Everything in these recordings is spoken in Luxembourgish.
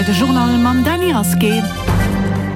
Hei de Journal mam Dany Rasqué.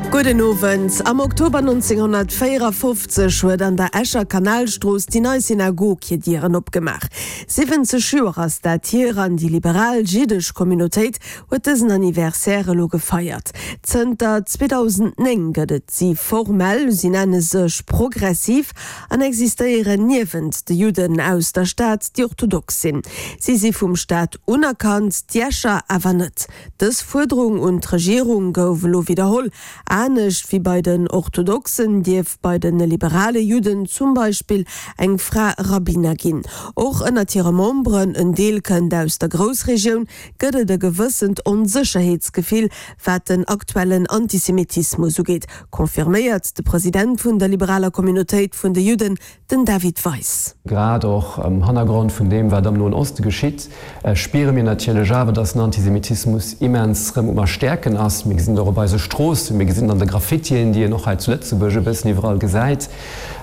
Gudden Owend. Am Oktober 1954 huet an der Escher Kanalstrooss déi nei Synagog hir Dieren opgemaach. 70 Joer ass dat hier an déi liberal jiddesch Communautéit huet dësen Anniversaire elo gefeiert. Zënter 2009 gëtt et si formell, si nenne sech progressiv an existéieren niewent de Judden aus der Stad, déi orthodox sinn. Si si vum Staat unerkannt, d'Jescher awer net. Dës Fuerderung un d'Regierung gouf elo widderholl. Anescht wéi bei den Orthodoxen dierf bei de liberale Judden zum Beispill eng Fra Rabbiner ginn. Och ënnert hire Memberen, en Deel kënnt aus der Groussregioun, gëtt et e gewëssent Onsécherheetsgefill, wat den aktuellen Antisemitismus ugeet, confirméiert de President vun der liberaler Communautéit vun de Judden, den David Weis. Grad och am Hannergrond vun deem, wat am Noen Oste geschitt, spiere mir natierlech awer, dass den Antisemitismus immens rëm um Erstäerken ass. Mir gesinn et och op eise Stroossen, mir gesinn et an de Graffitien, déi een och hei zu Lëtzebuerg e bëssen iwwerall gesäit.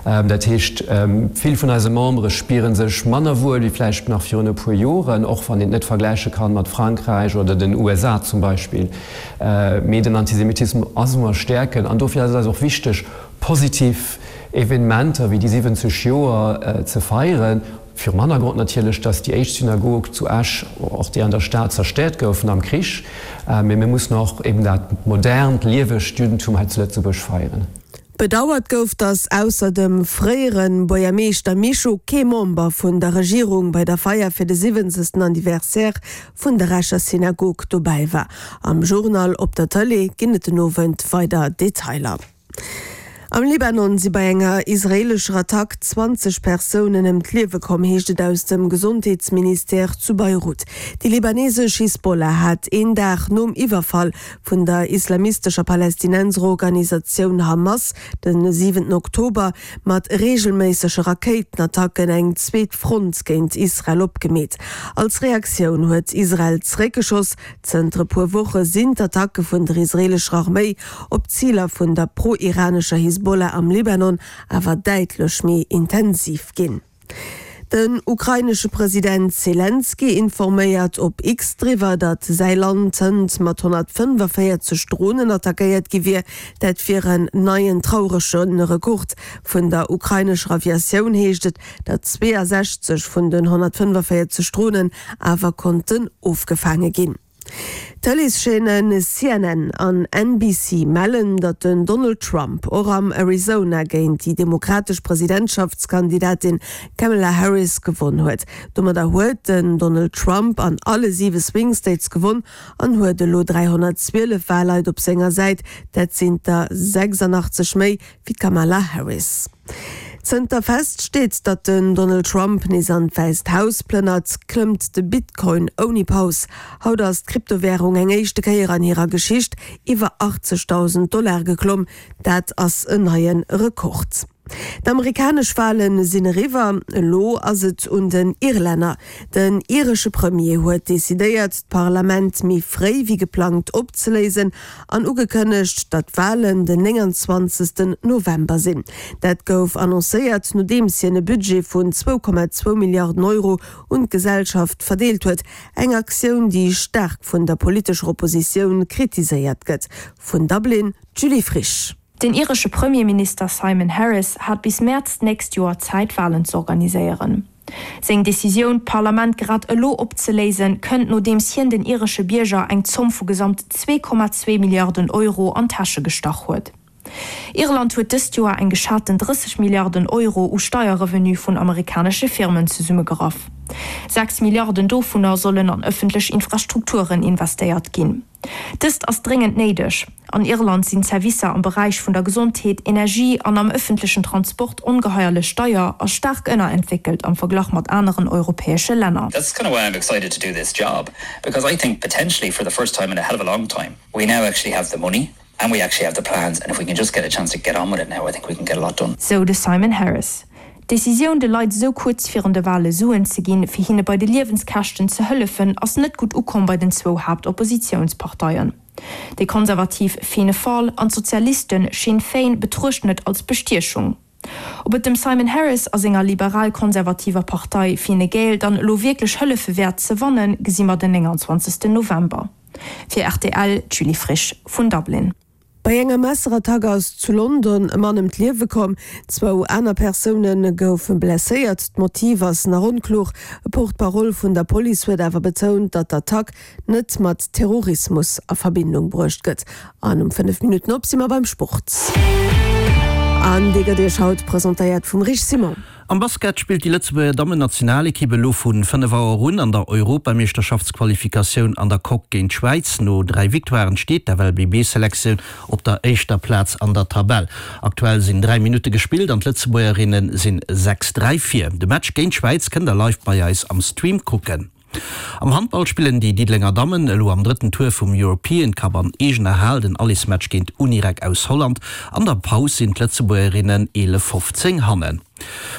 Dat heescht, vill vun eise Membere spiere sech manner wuel wéi vläicht nach virun e puer Joren, och wann een et net vergläiche kann mat Frankräich oder den USA zum Beispill. Mee den Antisemitismus ass um Erstäerken an dofir ass et eis och wichteg, positiv Evenementer wéi déi 70 Joer ze feieren, virum Hannergrond natierlech, datt déi éischt Synagog zu Esch, och déi an der Stad, zerstäert goufen am Krich. Mee mir mussen och eben dat modernt, liewegt Juddentum hei zu Lëtzebuerg feieren. Bedauert gouf, datt ausser dem fréiere Buergermeeschter Mischo kee Member vun der Regierung bei der Feier fir de 70. Anniversaire vun der Escher Synagog dobäi war. Am Journal op der Tëlee ginn et den Owend weider Detailer. Am Libanon si bei enger israeelescher Attack 20 Persounen ëm d'Liewe komm, heescht et aus dem Gesondheetsministère zu Beirut. Déi libanesesch Hisbollah hat een Dag nom Iwwerfall vun der islamistescher Palästinenserorganisatioun Hamas de siwenten Oktober mat reegelméissege Rakéitenattacken eng zweet Front géint Israel opgemeet. Als Reaktioun huet Israel zeréckgeschoss. Zënter e puer Woche sinn d'Attacke vun der israeelescher Arméi op d'Ziler vun der pro-iranescher Hisbollah am Libanon awer däitlech méi intensiv ginn. Den ukrainesche President Selenskyj informéiert op X driwwer, datt säi Land hënt mat 145 Dronen attackéiert gi wier. Dat wier en neien traurege Rekord. Vun der ukrainescher Aviatioun heescht et, datt 62 vun den 145 Dronen awer konnten ofgefaange ginn. D'Tëleeschaînen CNN an NBC mellen, datt den Donald Trump och am Arizona géint déi demokratesch Presidentschaftskandidatin Kamala Harris gewonn huet. Domadder huet den Donald Trump an alle siwe Swing States gewonn an huet elo 312 Wahlleit op senger Säit, dat sinn der 86 méi wéi d'Kamala Harris. Zënter fest steet, datt den Donald Trump nees an d'Wäisst Haus plënnert, klëmmt de Bitcoin ouni Paus. Haut ass d'Kryptowärung eng éischte Kéier an hirer Geschicht iwwer 80.000 Dollar geklomm. Dat ass en neie Rekord. D'amerikanesch Wale sinn eriwwer, elo ass et un den Irlänner. Den iresche Premier huet decidéiert, d'Parlament méi fréi wéi geplangt opzeléisen an ugekënnegt, datt d'Walen den 29 November sinn. Dat gouf annoncéiert, nodeems hien e Budget vun 2,2 Milliarden Euro un d'Gesellschaft verdeelt huet. Eng Aktioun, déi staark vun der politescher Oppositioun kritiséiert gëtt. Vun Dublin, d'Julie Frisch. Den iresche Premierminister Simon Harris hat bis Mäerz d'nächst Joer Zäit, Walen z'organiséieren. Seng Decisioun, d'Parlament grad elo opzeléisen, kënnt nodeems hien den iresche Bierger eng Zomm vu gesamt 2,2 Milliarden Euro an d'Täsche gestach huet. Irland huet dëst Joer eng geschaten 30 Milliarden Euro u Steierrevenue vun amerikanesche Firmen zesummegeraf. 6 Milliarden dovunner sollen an ëffentlech Infrastrukturen investéiert ginn. Dëst ass dréngend néideg. An Irland sinn d'Servicer am Beräich vun der Gesondheet, Energie an am ëffentlechen Transport ongeheierlech deier a staark ënnerentwéckelt am Verglach mat aneren europäesche Länner. That's kind of why I'm excited to do this job, because I think potentially for the first time in a hell of a long time, we now actually have the money and we actually have the plans and if we can just get a chance to get on with it now, I think we can get a lot done. Sou de Simon Harris. D'Decisioun, de Leit esou kuerz virun de Wale Suen ze ginn, fir hinne bei de Liewenskäschten ze hëllefen, ass net gutt ukomm bei den zwou Haaptoppositiounsparteien. Déi konservativ Fianna Fáil an d'Sozialiste Sinn Féin betruechten et als Bestiechung. Ob et dem Simon Harris a senger liberal-konservativer Partei Fine Gael dann elo wierklech hëllefe wäert ze wannen, gesi mer den 29 November. Fir rtl, d'Julie Frisch vun Dublin. Bei enger Messerattack ass zu London e Mann ëm d'Liewe komm. Zwou aner Persoune goufe blesséiert. D'Motiv ass nach onkloer. E Porte-parole vun der Police huet awer betount, datt d'Attack net mat Terrorismus a Verbindung bruecht gëtt. An um 5 Minutten op si mer beim Sport. An dee gëtt Iech haut presentéiert vum Rich Simon. Am Basket spillt déi Lëtzebuerger Dammennationalekipp elo vu 5 Auer un an der Europameeschterschaftsqualifikatioun an der Coque géint d'Schwäiz. No 3 Victoiren steet d'FLBB-Selektioun op der éischter Plaz an der Tabell. Aktuell sinn 3 Minutte gespillt an d'Lëtzebuergerinne sinn 6, 3 vir. De Match géint d'Schwäiz kënnt der live bei eis am Stream kucken. Am Handball spillen déi Diddelenger Dammen elo am drëtten Tour vum European Cup an eegener Hal den Allesmatch géint Unirec aus Holland. An der Paus sinn d'Lëtzebuergerinnen 11, 15 hannen.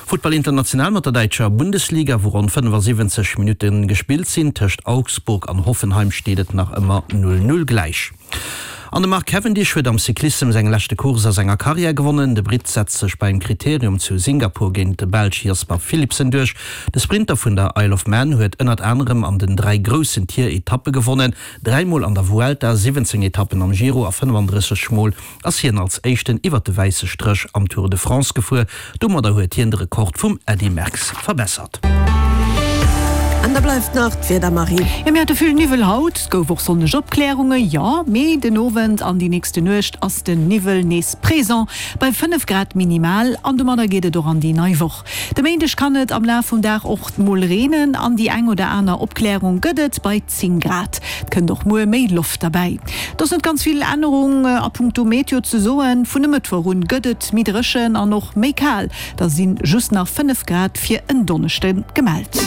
Futtball international mat der däitscher Bundesliga, wou ronn 75 Minutte gespillt sinn. Tëscht Augsburg an Hoffenheim steet et nach ëmmer 0, 0 gläich. An de Mark Cavendish huet am Cyclissem seng leschte Course a senger Karriär gewonnen. De Britt setzt sech beim Kriterium zu Singapur géint de Belsch Jasper Philipsen duerch. De Sprinter vun der Isle of Man huet ënnert anerem an den 3 groussen Tier-Etappe gewonnen, dräimol an der Vuelta, 17 Etappen am Giro a 35 Mol ass hien als éischten iwwer de wäisse Stréch am Tour de France gefuer. Domadder huet hien de Rekord vum Eddy Merckx verbessert. An da bleift nach d'Wieder, Marie. Jo, mir hate vill Niwwel haut, et gouf och sonneg Opklärunge, jo, mee den Owend an déi nächste Nuecht ass den Niwwel nees présent bei 5 Grad minimal an domadder geet et och an déi nei Woch. De Méindeg kann et am Laf vum Dag och mol reenen an déi eng oder aner Opklärung gëtt et bei 10 Grad. Et kënnt och muer méi Loft derbäi. Et ass net ganz vill Ännerung a punkto Meteo ze soen. Vun e Mëttwoch un gëtt et méi dréchen an och méi kal, da si just nach 5 Grad fir en Donneschde gemellt.